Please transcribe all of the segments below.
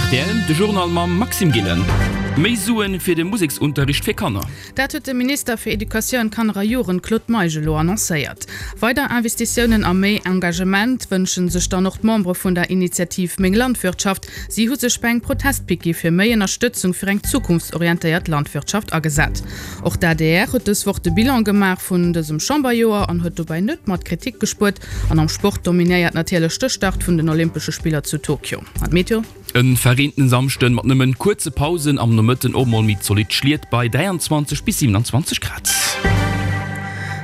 Rtl, De Journal mam Maxime Gillen. Méi Suen fir de Museksunterricht fir Kanner. Dat huet de Minister fir Educatioun, Kanner a Jugend Claude Meisch elo annoncéiert. Weider Investitiounen a méi Engagement wënsche sech dann och d'Membere vun der Initiativ Meng Landwirtschaft. Si hu sech bei engem Protestpiquet fir méi Ënnerstëtzung fir eng zukunftsorientéiert Landwirtschaft agesat. Och d'ADR huet dës Woch de Bilan gemaach vun dësem Chamberjoer an huet dobäi net mat Kritik gespuert. An am Sport dominéiert natierlech de Start vun den Olympesche Spiller zu Tokio. An d'Meteo? E verreenten Samschden mat nëmmen kuerze Pausen, am Nomëtten och mol méi zolidd Schliet bei 23 bis 27 Grad.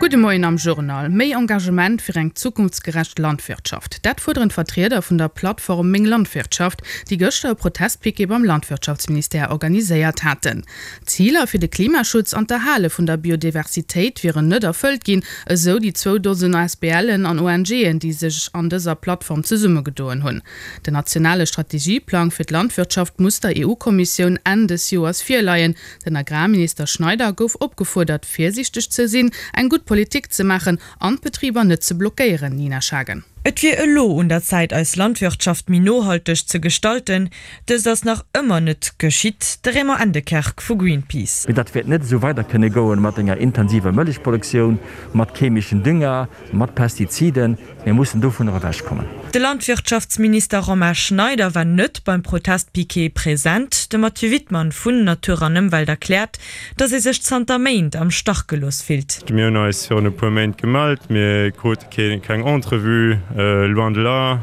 Gudde Moien am Journal. Méi Engagement fir eng zukunftsgerecht Landwirtschaft. Dat fuerderen d'Vertrieder vun der Plattform Meng Landwirtschaft, déi gëschter e Protestpiquet beim Landwirtschaftsministère organiséiert haten. D'Ziler fir de Klimaschutz an d'Erhale vun der Biodiversitéit wieren net erfëllt ginn, esou déi zwou Dosen ASBLen an ONGen, déi sech an dëser Plattform zesummegedoen hunn. Den nationale Strategieplang fir d'Landwirtschaft muss der EU-Kommissioun Enn des Joers virleien. Den Agrarminister Schneider gouf opgefuerdert, virsiichteg ze sinn, eng gutt Politik ze maachen an d'Betriber net ze blockéieren. Nina Schagen. Et wier elo un der Zäit eis Landwirtschaft méi nohalteg ze gestalten. Dëst ass nach ëmmer net geschitt. De Raymond Endekerk vu Greenpeace. Mee dat wäert net esou weider kënne goen mat enger intensiver Mëllechproduktioun, mat chemeschen Dünger, mat Pestiziden. Mir mussen dovunner ewech kommen. De Landwirtschaftsminister Romain Schneider war net beim Protestpiquet present. De Mathieu Wittmann vun Natur an Ëmwelt erkläert, datt ee sech zanter Méint am Stach gelooss fillt. Mir hunn eis virun e puer Méint gemellt, mir krute keng Entrevue, loin de là.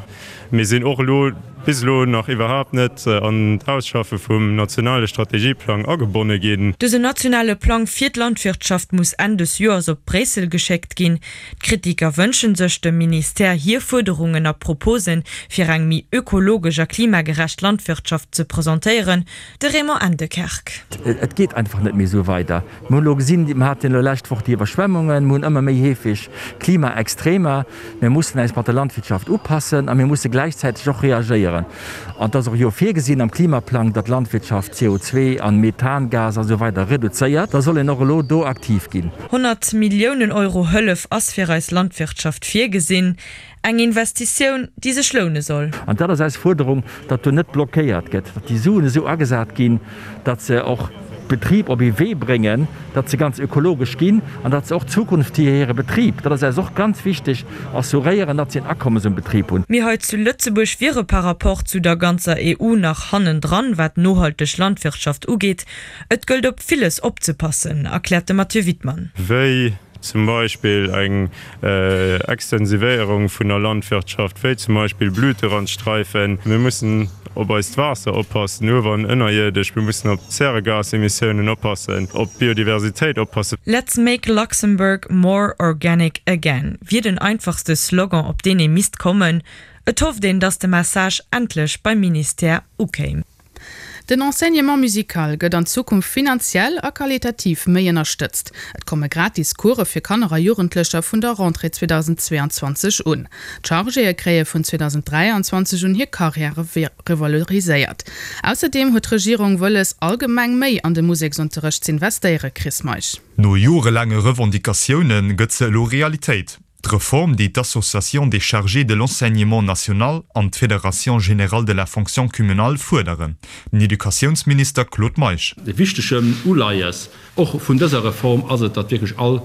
Mir sinn och elo bis elo nach iwwerhaapt net an d'Ausschaffe vum nationale Strategieplang agebonne ginn. Dësen nationale Plang fir d'Landwirtschaft muss Enn des Joers op Bréissel geschéckt ginn. D'Kritiker wënschen sech dem Ministère hir Fuerderungen a Proposen fir eng méi ökologesch a klimagerecht Landwirtschaft ze presentéieren. De Raymond Endekerk. Et geet einfach net méi esou weider. Mir hunn elo gesinn, mir haten elo lescht Woch déi Iwwerschwemmungen, mir hunn ëmmer méi heefeg Klimaextremer. Mir mussen äis mat der Landwirtschaft upassen a mir musse gläichzäiteg och reagéieren. An et ass och jo virgesinn am Klimaplang, datt d'Landwirtschaft CO2 an Methangas a sou weider reduzéiert. Da soll een och elo do aktiv ginn. 100 Milliounen Euro Hëllef ass fir eis Landwirtschaft virgesinn. Eng Investitioun, déi sech loune soll. An dat ass eis Fuerderung, datt do net blockéiert gëtt, datt déi Suen esou agesat ginn, datt se och d'Betrib op ee Wee bréngen, datt se ganz ökologesch ginn an datt se och d'Zukunft fir hire Betrib, dat ass eis och ganz wichteg, assuréieren, datt se en Akommes um Betrib hunn. Mir hei zu Lëtzebuerg wiere par rapport zu der ganzer EU nach hannendran, wat nohalteg Landwirtschaft ugeet. Et gëllt op villes opzepassen, erkläert de Mathieu Wittmann. Wéi zum Beispill eng Extensivéierung vun der Landwirtschaft, wéi zum Beispill Blüterandstreifen. Mir mussen op eist Waasser oppassen, uewer an ënnerierdesch. Mir mussen op d'Zäregasemissiounen oppassen, op d'Biodiversitéit oppassen. Let's make Luxembourg more organic again wier den einfachste Slogan, op deen ee misst kommen. Et hofft een, datt de Message endlech beim Ministère ukéim. Den Enseignement musical gëtt an Zukunft finanziell a qualitativ méi ënnerstëtzt. Et komme gratis Course fir Kanner a Jugendlecher vun der Rentrée 2022 un. D'Chargéë kréie vun 2023 un hir Karriäre revaloriséiert. Ausserdeem huet d'Regierung wëlles, allgemeng méi an de Museksunterrecht z'investéieren. Chris Meisch. No jorelaange Revendicatioune gëtt se elo Realitéit. D'Reform, déi d'Association des chargés de l'enseignement national an d'Fédération générale de la fonction communale fuerderen. Den Educatiounsminister Claude Meisch. E wichtegen Uleies och vun dëser Reform ass et, datt wierklech all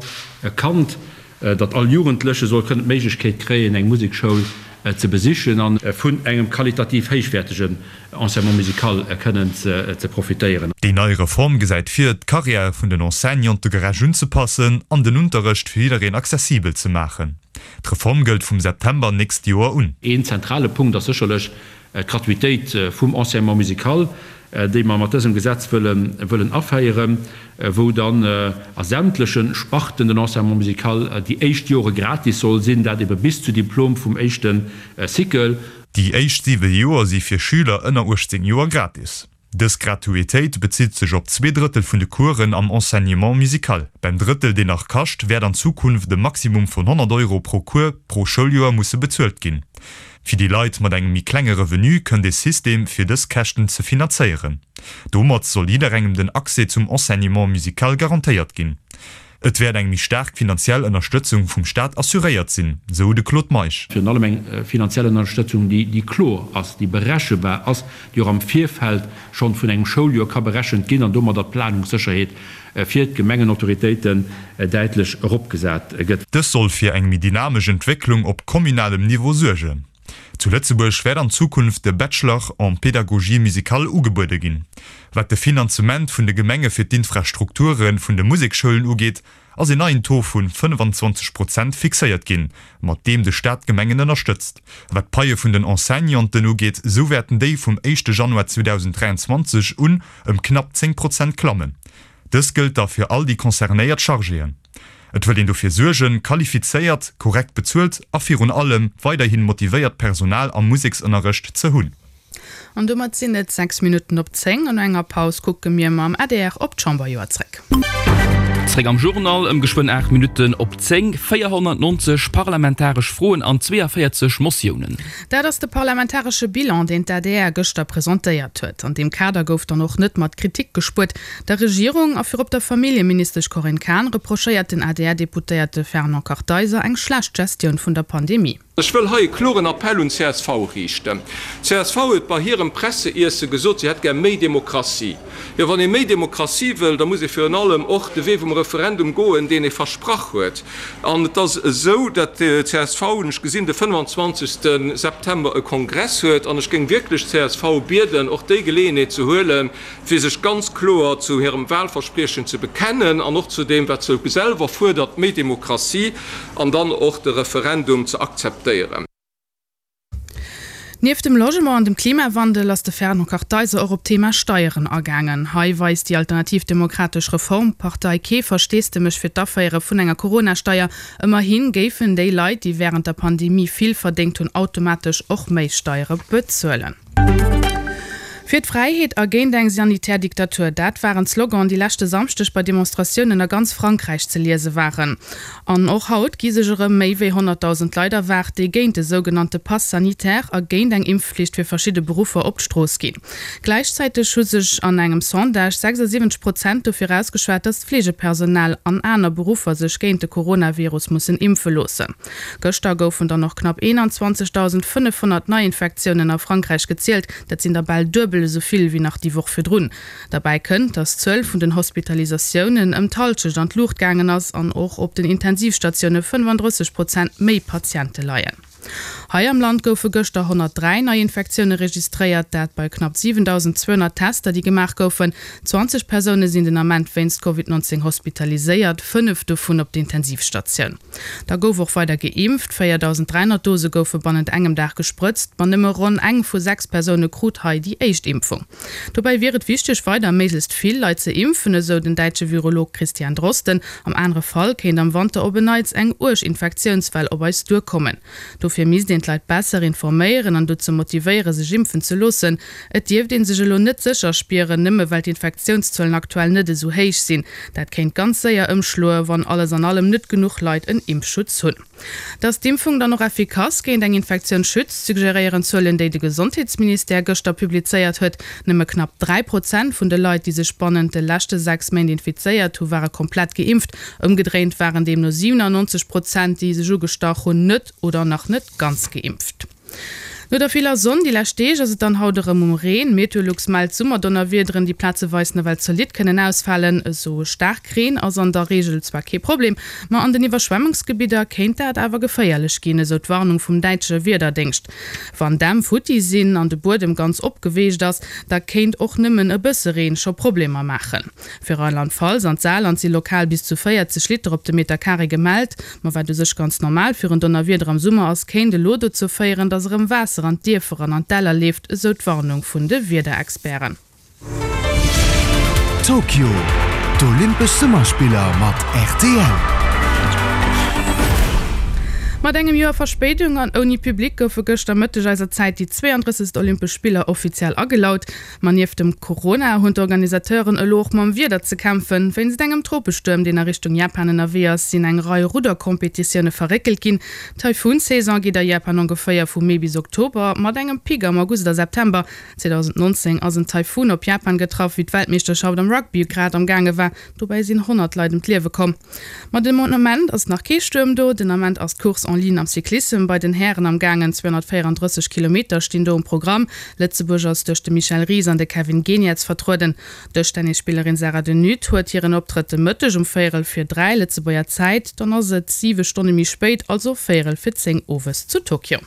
Kand, datt all Jugendleche soll kënnen d'Méiglechkeet kréien, eng Musekschoul ze besichen a vun engem qualitativ héichwäertegen Enseignement musical kënnen ze profitéieren. Déi nei Reform gesäit vir, d'Karriäre vun den Enseignante gerecht unzepassen an den Unterrecht fir jiddereen accessibel ze maachen. D'Reform gëllt vum September nächst Joer un. Een zentrale Punkt ass sécherlech d'Gratuitéit vum Enseignement musical, déi mer mat dësem Gesetz wëllen aféieren, wou dann a sämtleche Sparten den Enseignement musical déi éischt Jore gratis soll sinn, dat ebe bis zu Diplom vum éischte Cycle. Déi éischt 7 Joer si fir Schüler ënner 18 Joer gratis. Dës Gratuitéit bezitt sech op 2 Drëttel vun de Coursen am Enseignement musical. Beim Drëttel, deen nach kascht, wäert an Zukunft e Maximum vun 100 Euro pro Cours pro Schouljoer musse bezuelt ginn. Fir déi Leit mat engem méi klenge Revenu kënnt e System, fir dës Käschten ze finanzéieren. Domat soll jidderengem den Accès zum Enseignement musical garantéiert ginn. Et wäert eng méi staark finanziell Ënnerstëtzung vum Staat assuréiert sinn, sou de Claude Meisch. Virun allem eng finanziell Ënnerstëtzung, déi kloer ass, déi berechebar ass, déi och am Virfeld schonn vun engem Schouljoer ka berechent ginn an domadder d'Planungssécherheet fir d'Gemengenautoritéiten däitlech eropgesat gëtt. Dës soll fir eng méi dynamesch Entwécklung op communalem Niveau suergen. Zu Lëtzebuerg wäert an Zukunft de Bachelor en pédagogie musicale ugebuede ginn. Wat de Finanzement vun de Gemenge fir d'Infrastrukture vun de Museksschoulen ugeet, ass een neien Taux vu 25 Prozent fixéiert ginn, mat deem de Staat d'Gemengen ënnerstëtzt. Wat d'Paie vun den Enseignanten ugeet, esou wäerten déi vum éischte Januar 2023 un ëm knapp 10 Prozent klammen. Dës gëllt da fir all déi concernéiert Chargéen. Et wëllt een dofir suergen, qualifizéiert, korrekt bezuelt a virun allem weiderhi motivéiert Personal am Museksënnerrecht ze hunn. An domat sinn et 6 Minutten op 10 an no enger Paus kucke mir mam adr op d'Chamberjoer zréck. Zréck am Journal ëm geschwënn 8 Minutten op 10. 490 parlamentaresch Froen an 42 Motiounen. Dat ass de parlamentaresche Bilan, deen d'ADR gëschter presentéiert huet. An deem Kader gouf dann och net mat Kritik gespuert. Der Regierung a virop der Familljeministesch Corinne Cahen reprochéiert den ADR-Deputéierte Fernand Kartheiser eng schlecht Gestioun vun der Pandemie. Ech wëll hei e kloren Appell un csv riichten. Csv huet bei hirem Presse-Iesse gesot, si hätt gär méi Demokratie. Jo, wann ee méi Demokratie wëll, da muss ee virun allem och de Wee vum Referendum goen, deen ee versprach huet. An et ass esou, datt csv, hunn ech gesinn, de 25. September e Kongress huet. An ech géing wierklech csv bieden, och déi Geleeënheet ze huelen, fir sech ganz kloer zu hirem Wahlverspriechen ze bekennen an och zu deem, wat se selwer fuerdert, méi Demokratie, an dann och de Referendum ze akzeptéieren. Nieft dem Logement an dem Klimawandel ass de Fernand Kartheiser och op d'Thema Steieren agaangen. Hei weist déi Alternativ Demokratesch Reformpartei kee Versteesdemech fir d'Aféiere vun enger Corona-Steier. Ëmmerhi géifen déi Leit, déi wärend der Pandemie vill verdéngt hunn, automatesch och méi Steiere bezuelen. Fir d'Fräiheet a géint eng sanitär Diktatur, dat waren d'Sloganen, déi leschte Samschdeg bei Demonstratiounen a ganz Frankräich ze liese waren. An och haut gi sech erëm méi wéi 100.000 Leit erwaart, déi géint de sougenannte Pass sanitaire a géint eng Impfflicht fir verschidde Beruffer op d'Strooss ginn. Gläichzäiteg hu sech an engem Sondage 76 Prozent dofir ausgeschwat, datt d'Fleegepersonal an aner Beruffer sech géint de Coronavirus mussen impfe loossen. Gëschter goufen dann och knapp 21.500 Neiinfektiounen a Frankräich gezielt, dat sinn der bal duebel esou vill wéi nach déi Woch virdrun. Derbäi kënnt, datt d'Zuel vun den Hospitalisatiounen ëm d'Hallschecht an d'Luucht gaangen ass an och op den Intensivstatioune 35 Prozent méi Patiente leien. Hei am Land goufe gëschter 103 Neiinfektioune registréiert, dat bei knapp 7.200 Tester, déi gemaach goufen. 20 Persoune sinn den Ament wéinst Covid 19 hospitaliséiert, 5 dovun op der Intensivstatioun. Da gouf och weider geimpft, 4.300 Dose goufe bannent engem Dag gesprëtzt, ma nëmme ronn eng vu 6 Persoune krut hei déi éischt Impfung. Dobäi wier et wichteg, weider méiglechst vill Leit ze impfen, esou den däitsche Virolog Christian Drosten. Am anere Fall kéint am Wanter op en Neits eng uerg Infektiounswell op eis duerkommen. Dofir misst een d'Leit besser informéieren an dozou motivéiere sech impfen ze loossen. Et dierft ee sech elo net sécher spieren, nëmme well d'Infektiounszuelen aktuell net esou héich sinn. Dat kéint ganz séier ëmschloe wann alles an allem net genuch Leit en Impfschutz hunn. Datt d'Impfung dann och effikass géint eng Infektioun schützt, suggeréieren Zuelen, déi de Gesondheetsministère gëschter publizéiert huet. Nëmme knapp 3 Prozent vun de Leit, déi sech bannent de leschte 6 Méint infizéiert hu ware komplett geimpft. Ëmgedréint waren deemno 97 Prozent, déi sech ugestach hunn, net oder nach net ganz geimpft. No der viller Sonn déi lescht Deeg ass et dann haut erëm um Reen. Meteolux mellt Summerdonnerwiederen, déi plazeweis nawell zolidd kënnen ausfalen. Esou staark Reen ass an der Reegel zwar kee Problem, ma an den Iwwerschwemmungsgebidder kéint dat awer geféierlech ginn, esou d'Warnung vum däitsche Wiederdéngscht. Wann Dämm futti sinn an de Buedem ganz opgeweecht ass, da kéint och nëmmen e bësse Reen scho Problemer maachen. Fir Rheinland-Pfalz an d'Saarland si lokal bis zu 40 Liter op de Meter Carré gemellt. Ma wat u sech ganz normal fir en Donnerwieder am Summer ass, kéint elo dozou féieren, dass erëm Waasser an d'Dierfer an an d'Däller leeft, esou d'Warnung vun de Wiederexperten. Tokio, D'Olympesch Summerspiller mat rtl. Mat engem Joer Verspéidung an ouni Public goufe gëschter Mëtteg eiser Zäit déi 32. Olympesch Spiller offiziell agelaut. Ma nieft dem Corona hunn d'Organisateuren elo och mam Wieder ze kämpfen. Wéinst engem Tropestuerm, deen a Richtung Japan ënnerwee ass, sinn eng Rei Rudderkompetitioune verréckelt ginn. D'Taifun-Saison geet a Japan ongeféier vu Mee bis Oktober, mat engem Pic am August a September. 2019 ass en Taifun op Japan getraff, wéi d'Weltmeeschterschaft am Rugby grad am gaange war. Dobäi sinn 100 Leit ëm d'Liewe komm. Ma den Ament ass nach kee Stuerm do. Den Ament ass d'Course en ligne am Cyclissem bei den Hären am gaangen. 234 Kilometer stinn do um Programm. Lëtzebuerg ass duerch de Michel Ries an de Kevin Geniets vertrueden. D'Dëschtennisspillerin Sarah De Nutte huet hiren Optrëtt de Mëtteg um véierel vir 3 Lëtzebuerger Zäit. Dann ass et 7 Stonne méi spéit, also véierel vir 10 owes zu Tokio.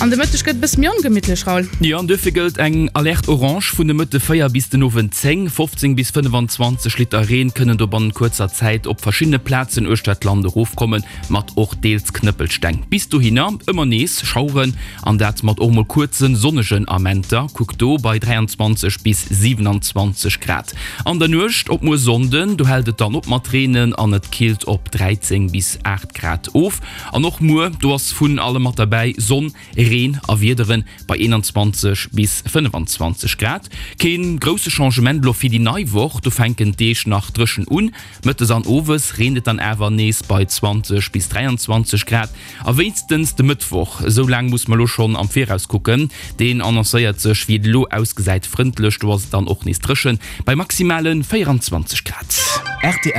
An de Mëtteg gëtt e bësse méi ongemittlech, Raoul. Jo, an duerfir gëllt eng Alerte orange vun de Mëtte 4 bis den Owend 10. 15 bis 25 Liter Reen kënnen do bannent kuerzer Zäit op verschiddene Plazen uechter d'Land erofkommen, mat och deels Knëppelsteng. Bis dohinner ëmmer nees Schaueren an dat mat och mol kuerze sonnegen Amenter, kuckt do bei 23 bis 27 Grad. An der Nuecht op muer Sonnden, do hält et dann op mat reenen an et killt op 13 bis 8 Grad of. An och muer, do ass vun allem mat derbäi, Sonn, Reen a Wiederen bei 21 bis 25 Grad. Kee grousse Changement elo fir déi nei Woch, do fänken d'Deeg nach dréchen un. Mëttes an owes reent et dann awer nees bei 20 bis 23 Grad. A wéinstens de Mëttwoch, esou laang muss mer elo schonn am Viraus kucken, deen annoncéiert sech, wéi et elo ausgesäit, frëndlech, do ass et dann och nees dréchen bei maximale 24 Grad. Rtl.